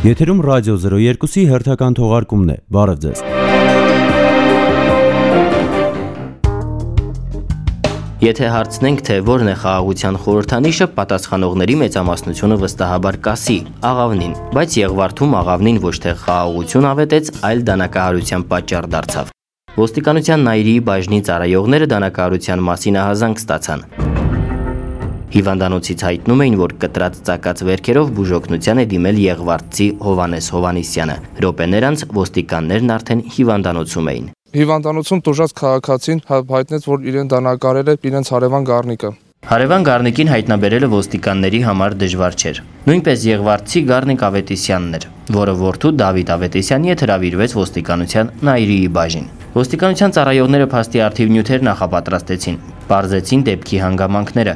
Եթերում ռադիո 02-ի հերթական թողարկումն է։ Բարև ձեզ։ Եթե հարցնենք, թե որն է խաղաղության խորհրդանիշը, պատասխանողների մեծամասնությունը վստահաբար կասի աղավնին, բայց Եղվարդում աղավնին ոչ թե խաղաղություն ավետեց, այլ դանակահարության պատճառ դարձավ։ Ոստիկանության Նայիրիի բաժնի ծառայողները դանակահարության մասին ահազանգ ստացան։ Հիվանդանոցից հայտնում էին, որ կտրած ծակած վերքերով բուժօգնության է դիմել Եղվարդցի Հովանես Հովանեսյանը։ Րոպեներ անց ոստիկաններն արդեն հիվանդանոցում էին։ Հիվանդանոցում տուժած քաղաքացին հայտնեց, որ իրեն դանակարել է իրենց հարևան Գառնիկը։ Հարևան Գառնիկին հայտնաբերելը ոստիկանների համար դժվար չէր։ Նույնպես Եղվարդցի Գառնիկ Ավետիսյանն էր, որը որդու Դավիթ Ավետիսյանի հետ հրավիրվեց ոստիկանության Նայիրիի բաժին։ Ոստիկանության ծառայողները փաստի արդիվ նյութեր նախապատրաստեցին, պարզեցին դեպքի հանգամանքները։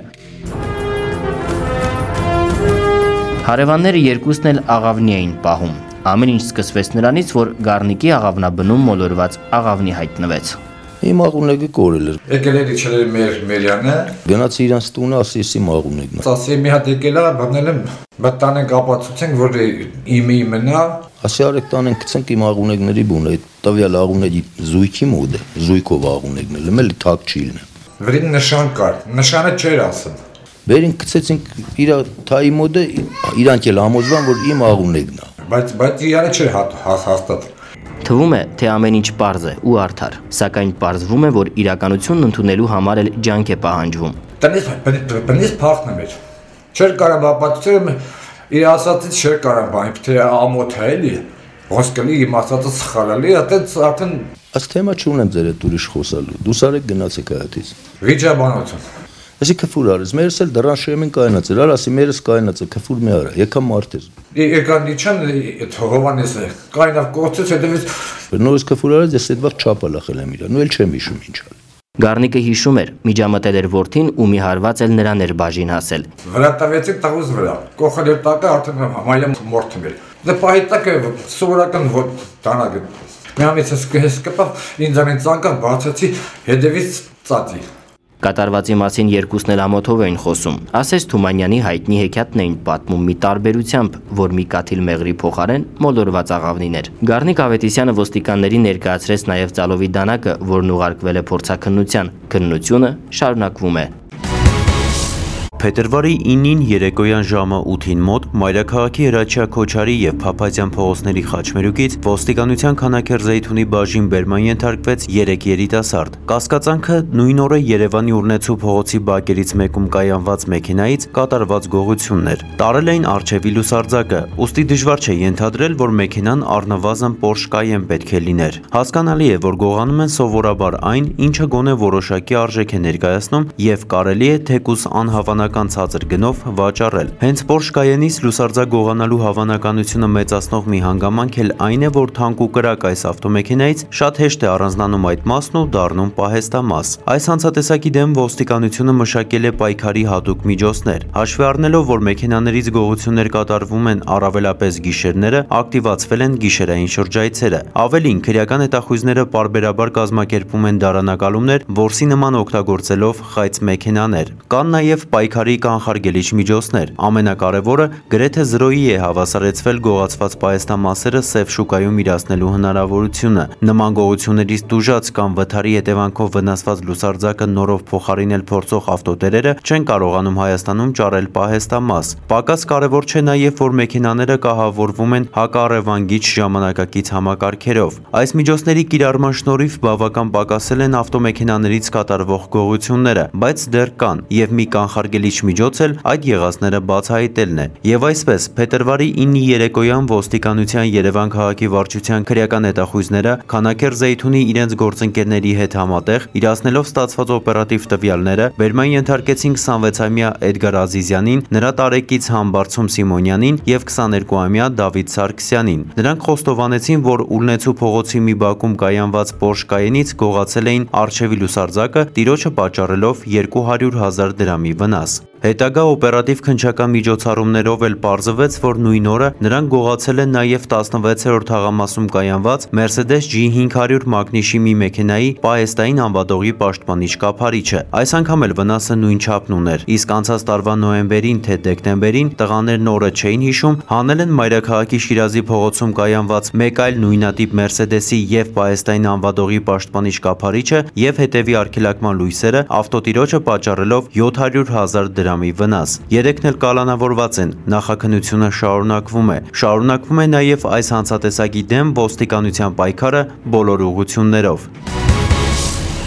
Հարևանները երկուսն էլ աղավնի էին պահում։ Ամեն ինչ սկսվեց նրանից, որ Գառնիկի աղավնաբնում մոլորված աղավնի հայտնվեց։ Իմ աղունեգը կորել էր։ Եկել էր իջել մեր Մերյանը։ Գնաց իրանց տունը, ասի աղունեգն է։ Ասի մի հատ եկել է, բռնել եմ, բտանենք ապացուցենք, որ իմի մնա։ Ասի արեք տանենք գցենք իմ աղունեգների բունը, այդ տվյալ աղունեգի զույգի մոտ է, զույգով աղունեգն է, էլի թակ չի լինի։ Վրին նշան կար, նշանը չէր ասում։ Վերին գցեցինք իր թայի մոտ է, իրանք էլ համոզվան, որ իմ աղունեգն է։ Բայց իրանը չէր հաստատ։ Թվում է, թե ամեն ինչ պարզ է ու արդար, սակայն պարզվում է, որ իրականությունն ընդունելու համար էլ ջանք է պահանջվում։ Տնից փախնում էր։ Չէր կարող ապացուցել, իր ասածից չէր կարող բան, թե ամոթ է էլի, ոսկելի իմ ասածը սխալալի, արդեն Այս թեմա չունեմ ձեր հետ ուրիշ խոսալու։ Դուս արեք գնացեք այդից։ Վիճաբանություն։ Ասի քֆուր արես, մերս էլ դրան շեմին կայնած էր, ասի մերս կայնած է, քֆուր մի արա, եկա մարտեր։ Եկան իջան Հովանեսը, կայնավ կողցեց, հետևից նորից քֆուր արես, ես այդ վաղ չապալախել եմ իրան, ու էլ չեմ հիշում ինչ ալ։ Գառնիկը հիշում էր, միջամտել էր որդին ու մի հարված էլ նրան էր բաժին հասել։ Վրա տվեցին տաղուզ վրա, կողել էր տակը, արդեն մայլեմ մորթում էր։ Դե պահի տակը սովորական դանակը։ Մի ամից ես կպավ, ինձանին ծանկավ, բացեցի, հետևից ծածի։ Կատարվածի մասին երկուսն էլ ամոթով էին խոսում։ Ասես Թումանյանի հայտնի հեքիաթն էին պատմում մի տարբերությամբ, որ մի կաթիլ մեղրի փոխարեն մոլորված աղավնիներ։ Գառնիկ Ավետիսյանը ոստիկաններին ներկայացրեց նաև ծալովի դանակը, որն ուղարկվել է փորձաքննության։ Քննությունը շարունակվում է։ Փետրվարի 9-ին երեկոյան ժամը 8-ին մոտ Մայրաքաղաքի Հրաչյա Քոչարի եւ Փափազյան փողոցների խաչմերուկից ոստիկանության Քանաքեռ Զեյթունի բաժին բերման ենթարկվեց 3 երիտասարդ։ Կասկածանքը նույն օրը Երևանի Ուրնեցու փողոցի բակերից մեկում կայանված մեքենայից կատարված գողությունն էր։ Տարել էին առջևի լուսարձակը, ուստի դժվար չէ ենթադրել, որ մեքենան առնվազն Porsche Cayenne պետք է լիներ։ Հասկանալի է, որ գողանում են սովորաբար այն, ինչը գոնե որոշակի արժեք է ներկայացնում եւ կարելի է թեկուզ անհավանական ցածր գնով վաճառել։ Հենց Porsche Cayenne-ից լուսարձակ գողանալու հավանականությունը մեծացնող մի հանգամանք էլ այն է, որ թանկ ու կրակ այս ավտոմեքենայից շատ հեշտ է առանձնանում այդ մասն ու դառնում պահեստամաս։ Այս հանցատեսակի դեմ ոստիկանությունը մշակել է պայքարի հատուկ միջոցներ։ Հաշվի առնելով, որ մեքենաներից գողություններ կատարվում են առավելապես գիշերները, ակտիվացվել են գիշերային շրջայցերը։ Ավելին, քրեական հետախույզները պարբերաբար կազմակերպում են դարանակալումներ, որսի նման օգտագործելով խայծ մեքենաներ։ Կան նաև պայքարի կանխարգելիչ միջոցներ։ Ամենակարևորը գրեթե 0-ի է հավասարեցվել գողացված պահեստամասերը սև շուկայում իրացնելու հնարավորությունը։ Նման գողություններից տուժած կամ վթարի հետևանքով վնասված լուսարձակը նորով փոխարինել փորձող ավտոտերերը չեն կարողանում Հայաստանում ճարել պահեստամաս։ Պակաս կարևոր չէ նաև, որ մեքենաները կահավորվում են հակառևանգիչ ժամանակակից համակարգերով։ Այս միջոցների կիրառման շնորհիվ բավական պակասել են ավտոմեքենաներից կատարվող գողությունները, բայց դեռ կան, եւ մի կանխարգելիչ միջոց էլ այդ եղածները բացահայտելն է։ Եվ այսպես, փետրվարի 9-ի երեկոյան ոստիկանության Երևան քաղաքի վարչության քրեական հետախույզները Քանաքեռ Զեյթունի իրենց գործընկերների հետ համատեղ իրացնելով ստացված օպերատիվ տվյալները բերման ենթարկեցին 26-ամյա Էդգար Ազիզյանին, նրա տարեկից Համբարձում Սիմոնյանին եւ 22-ամյա Դավիթ Սարգսյանին։ Նրանք խոստովանեցին, որ Ուրնեցու փողոցի մի բակում կայանված Porsche Cayenne-ից գողացել էին առջևի լուսարձակը, տիրոջը պատճառելով 200,000 դրամի վնաս։ Հետագա օպերատիվ քննչական միջոցառումներով էլ պարզվեց, որ նույն օրը նրանք գողացել են նաև 16-րդ թաղամասում կայանված Mercedes G500 մագնիշի մի մեքենայի պահեստային անվադողի պաշտպանիչ կափարիչը։ Այս անգամ էլ վնասը նույն չափն ուներ, իսկ անցած տարվա նոյեմբերին թե դեկտեմբերին տղաներն օրը չէին հիշում, հանել են մայրաքաղաքի Շիրազի փողոցում կայանված մեկ այլ նույնատիպ Mercedes-ի եւ պահեստային անվադողի պաշտպանիչ կափարիչը եւ հետեւի արգելակման լույսերը ավտոտիրոջը պատճառելով 700,000 դրամի վնաս։ Երեքն էլ կալանավորված են, նախաքննությունը շարունակվում է նաև այս հանցատեսակի դեմ ոստիկանության պայքարը բոլոր ուղղություններով։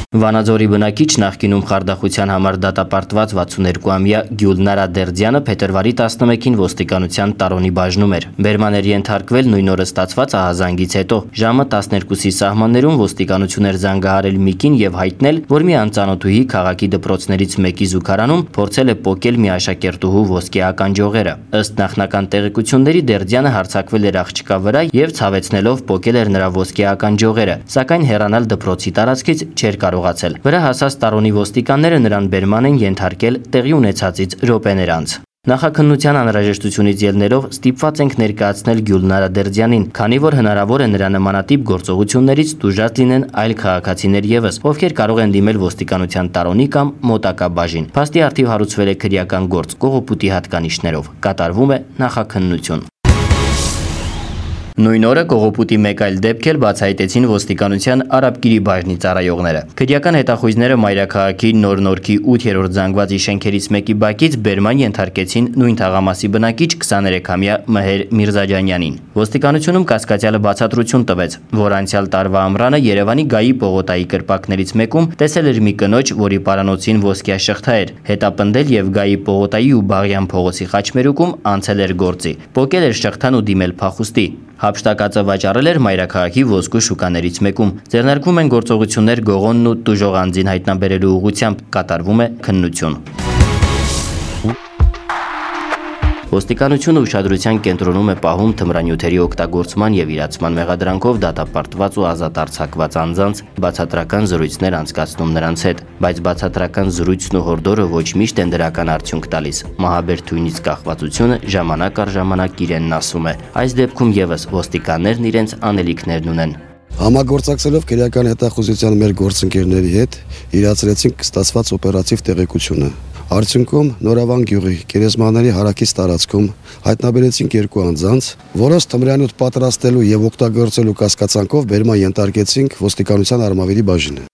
Վանաձորի բնակիչ նախկինում խարդախության համար դատապարտված 62-ամյա Գյուլնարա Դերձյանը փետրվարի 11-ին ոստիկանության Տարոնի բաժնում էր։ Բերման էր ենթարկվել նույն օրը ստացված ահազանգից հետո։ Ժամը 12-ի սահմաններում ոստիկանություն էր զանգահարել Միկին եւ հայտնել, որ մի անծանոթուհի քաղաքի դպրոցներից մեկի զուգարանում փորձել է պոկել մի աշակերտուհու ոսկե ականջողերը։ Ըստ նախնական տեղեկությունների Դերձյանը հարձակվել էր աղջկա վրա եւ ցավեցնելով պոկել էր նրա ոսկե ականջողերը, սակայն հեռանալ դպրոցի տարածքից չէր կարողացել։ Վրա հասած Տարոնի ոստիկանները նրան բերման են ենթարկել տեղի ունեցածից րոպեներ անց։ Նախաքննության անհրաժեշտությունից ելնելով ստիպված ենք ներկայացնել Գյուլնարա Դերձյանին, քանի որ հնարավոր է նրա նմանատիպ գործողություններից տուժած լինեն այլ քաղաքացիներ եւս, ովքեր կարող են դիմել ոստիկանության Տարոնի կամ մոտակա բաժին։ Փաստի առթիվ հարուցվել է քրեական գործ կողոպուտի հատկանիշներով։ Կատարվում է նախաքննություն։ Նույն օրը կողոպուտի մեկ այլ դեպք էլ բացահայտեցին ոստիկանության Արաբկիրի բաժնի ծառայողները։ Քրեական հետախույզները մայրաքաղաքի Նոր-Նորքի 8-րդ զանգվածի շենքերից մեկի բակից բերման ենթարկեցին նույն թաղամասի բնակիչ 23-ամյա Մհեր Միրզաջանյանին։ Ոստիկանությունում կասկածյալը բացատրություն տվեց, որ անցյալ տարվա ամռանը Երևանի Գայի պողոտայի կրպակներից մեկում տեսել էր մի կնոջ, որի պարանոցին ոսկյա շղթա էր, հետապնդել եւ Գայի պողոտայի ու Բաղյան փողոցի խաչմերուկում անցել էր գործի։ Պոկել էր շղթան ու դիմել փախուստի։ Հափշտակածը վաճառել էր մայրաքաղաքի ոսկու շուկաներից մեկում։ Ձեռնարկվում են գործողություններ Գողոնն ու տուժող անձին հայտնաբերելու ուղղությամբ, կատարվում է քննություն։ Ոստիկանությունը ուշադրության կենտրոնում է պահում թմրանյութերի օգտագործման եւ իրացման մեղադրանքով դատապարտված ու ազատ արձակված անձանց բացատրական զրույցներ անցկացնում նրանց հետ, բայց բացատրական զրույցն ու հորդորը ոչ միշտ են դրական արդյունք տալիս։ Մահաբեր թույնից կախվածությունը ժամանակ առ ժամանակ իրենն ասում է։ Այս դեպքում եւս ոստիկաններն իրենց անելիքներն ունեն։ Համագործակցելով քրեական հետախուզության մեր գործընկերների հետ իրացրեցինք ստացված օպերատիվ տեղեկությունը։ Արդյունքում Նորավան գյուղի գերեզմանների հարակից տարածքում հայտնաբերեցինք երկու անձանց, որոնց թմրանյութ պատրաստելու եւ օգտագործելու կասկածանքով բերման ենթարկեցինք ոստիկանության Արմավիրի բաժինը։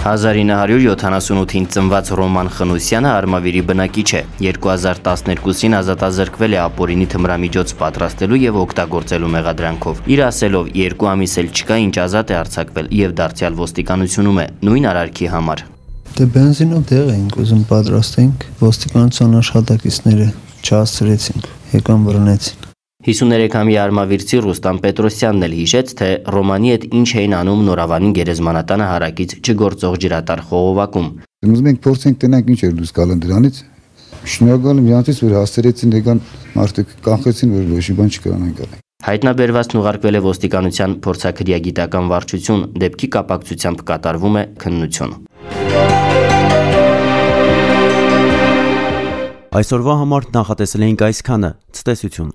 1978-ին ծնված Ռոման Խնոսյանը Արմավիրի բնակիչ է։ 2012-ին ազատազրկվել է ապօրինի թմրամիջոց պատրաստելու եւ օգտագործելու մեղադրանքով։ Իր ասելով 2 ամիս էլ չկա ինչ ազատ է արձակվել եւ դարձյալ ոստիկանությունում է նույն արարքի համար։ Դե բենզինով դեղ էինք ուզում պատրաստենք, ոստիկանության աշխատակիցները չհասցրեցին, եկան բռնեցին։ 53-ամյա արմավիրցի Ռուստամ Պետրոսյանն էլ հիշեց, թե Ռոմանի հետ ինչ էին անում Նորավանի գերեզմանատանը հարակից չգործող ջրատար խողովակում։ Ուզում ենք փորձենք տենանք ինչ էր դուրս գալն դրանից։ Շնորհակալ եմ իրանից, որ հասցրեցին եկան մարդիկ կանխեցին, որ ոչ մի բան չկրանանք անել։ Հայտնաբերվածն ուղարկվել է ոստիկանության փորձաքրեագիտական վարչություն, դեպքի կապակցությամբ կատարվում է քննություն։ Այսօրվա համար նախատեսել էինք այսքանը։ Ցտեսություն։